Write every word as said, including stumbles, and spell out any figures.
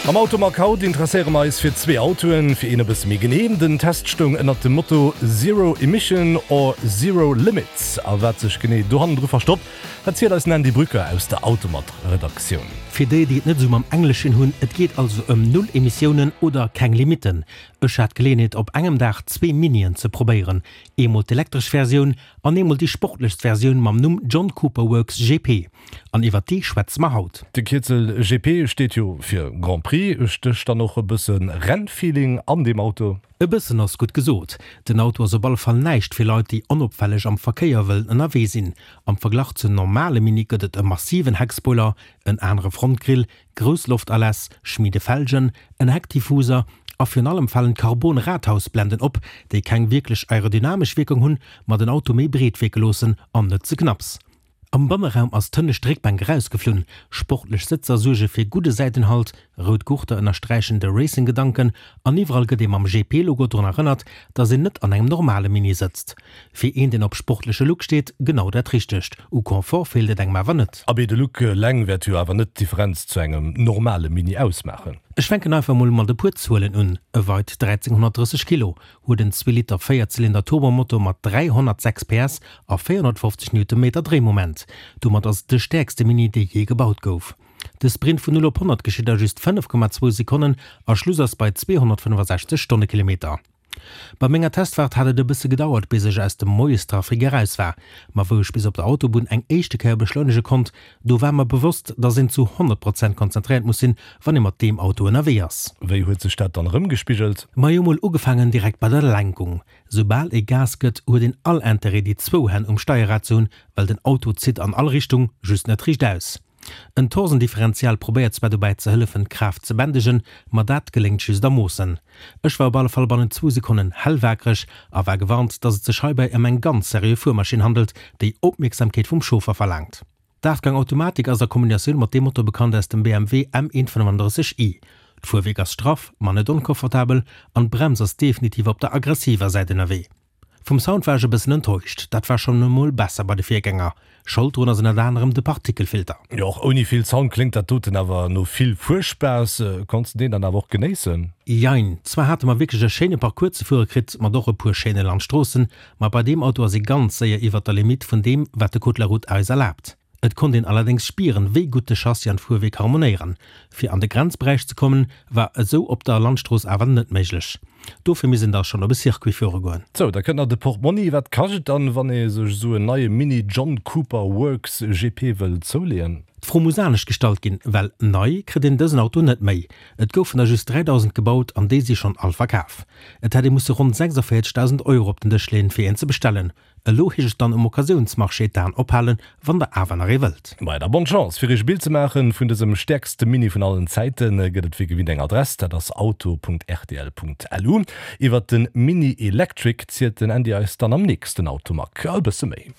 Am Automag haut interesséiere mer eis fir zwee Autoen, fir een e bësse méi genee. Den Test stoung ënnert dem Motto Zero Emission or Zero Limits. A wat sech genee do hannendru verstoppt, dat zielt eis den Andy Brücker aus der Automag-Redaktioun. Fir déi, déi et net esou mam Engleschen hunn, et geet also ëm null Emissiounen oder keng Limitten. Ech hat d'Geleeënheet op engem Dag zwee Minien ze probéieren, eemol d'elektresch Versioun an eemol déi sportlechst Versioun mam Numm John Cooper Works G P. An iwwer déi schwätze mer haut. De Kierzel G P steet jo fir Grand Prix. Stécht dann och e bësse Rennfeeling an deem Auto? E bëssen ass gutt gesot. Den Auto ass op alle Fall näischt fir Leit, déi onopfälleg am Verkéier wëllen ënnerwee sinn. Am Verglach zum normale Mini gëtt et e massiven Heckspoiler, en anere Frontgrill, grouss Loftaläss, Schmiedefelgen, en Heckdiffuser a virun allem falen Carbon-Radhausblenden op, déi keng wierklech aerodynamesch Wierkung hunn, ma den Auto méi breet wierke loossen an net ze knapps. Am Banneraum ass d'hënnescht Réckbänk erausgeflunn, sportlech Sëtzer suerge fir gudde Säitenhalt, rout Gurter ënnersträichen de Racing-Gedanken an iwwerall gëtt ee mam G P-Logo drun erënnert, dass een net an engem normale Mini sëtzt. Fir een, deen op sportleche Look steet, genau dat Richtegt. U Confort feelt et engem awer net. Abee, de Look eleng wäert jo awer net d'Differenz zu engem normale Mini ausmaachen. Ech fänken einfach mol mat e puer Zuelen un, E weit dräizénghonnertdrësseg Kilo, huet en zwee Liter Véierzylinder Turbomotor mat dräihonnertsechs P S a véierhonnertfofzeg Newtonmeter Dréimoment. Domat ass et de stäerkste Mini, dee jee gebaut gouf. De Sprint vun null op honnert geschitt a just fënnef Komma zwou Sekonnen a Schluss ass bei zweehonnertfënnefasechzeg Stonnekilometer. Bei menger Testfaart hat et e bësse gedauert, bis ech aus dem Moiestrafic eraus war. Ma wou ech bis op der Autobunn eng éischte Kéier beschleunege konnt, do war mer bewosst, dass een zu honnert Prozent konzentréiert muss sinn, wann ee mat deem Auto ënnerwee ass. Wéi huet sech dat dann erëmgespigelt? Majo, mol ugefaangen direkt bei der Lenkung. Soubal ee Gas gëtt, huet een all Interêt déi zwou Hänn um Steierrad ze hunn, well den Auto zitt an all Richtung, just net riichtaus. En Torsendifferential probéiert zwar dobäi ze hëllefen, d'Kraaft ze bändegen, ma dat geléngt just a Moossen. Ech war op alle Fall bannent zwou Sekonnen hellwaakreg a war gewarnt, dass et sech heibäi ëm eng ganz seriö Fuermaschinn handelt, déi Opmierksamkeet vum Chauffer verlaangt. D'Aachtgang-Automatik ass a Kombinatioun mat deem Motor bekannt aus dem B M W M eent fënnefandrësseg i. D'Fuerwierk ass straff, ma net onkomfortabel an d'Brems ass definitiv op der aggressiver Säit ënnerwee. Vum Sound war ech e bëssen enttäuscht, dat war schonn emol besser bei de Virgänger. Schold drun ass ënnert anerem de Partikelfilter. Jo, och ouni vill Sound kléngt dat doten awer no vill Fuerspaass. Konns de deen dann awer och genéissen? Jein, zwar hate mer wierklech e schéine Parcours ze fuere kritt, mat och e puer schéine Landstroossen, ma bei deem Auto ass ee ganz séier iwwert der Limitt vun deem, wat de Code de la Route eis erlaabt. Et konnt een allerdéngs spieren, wéi gutt de Chassis an d'Fuerwierk harmonéieren. Fir an de Grenzberäich ze kommen, war esou op der Landstrooss awer net méiglech. Dofir misst een da schonn op e Circuit fuere goen. Sou, da kënnt nach de Portmonni. Wat kascht et dann, wann ee sech esou en neie Mini John Cooper Works G P wëll zouleeën? D'Fro muss anescht gestallt ginn, well nei kritt een dësen Auto net méi. Et goufen der just dräidausend gebaut an déi si schonn all verkaf. Et hätt ee musse ronn sechsundvéierzegdausend Euro op den Dësch leeën, fir een ze bestellen. Elo heescht et dann um Occasiounsmarché d'Aen ophalen, wann der awer nach ee wëllt. Maja, da bonne Chance! Fir iech e Bild ze maachen vun dësem stäerkste Mini vun allen Zäiten, gëtt et wéi gewinnt eng Adress, dat ass auto Punkt R T L Punkt L U. Iwwert de Mini Electric zielt den Andy eis dann am nächsten Automag e bësse méi.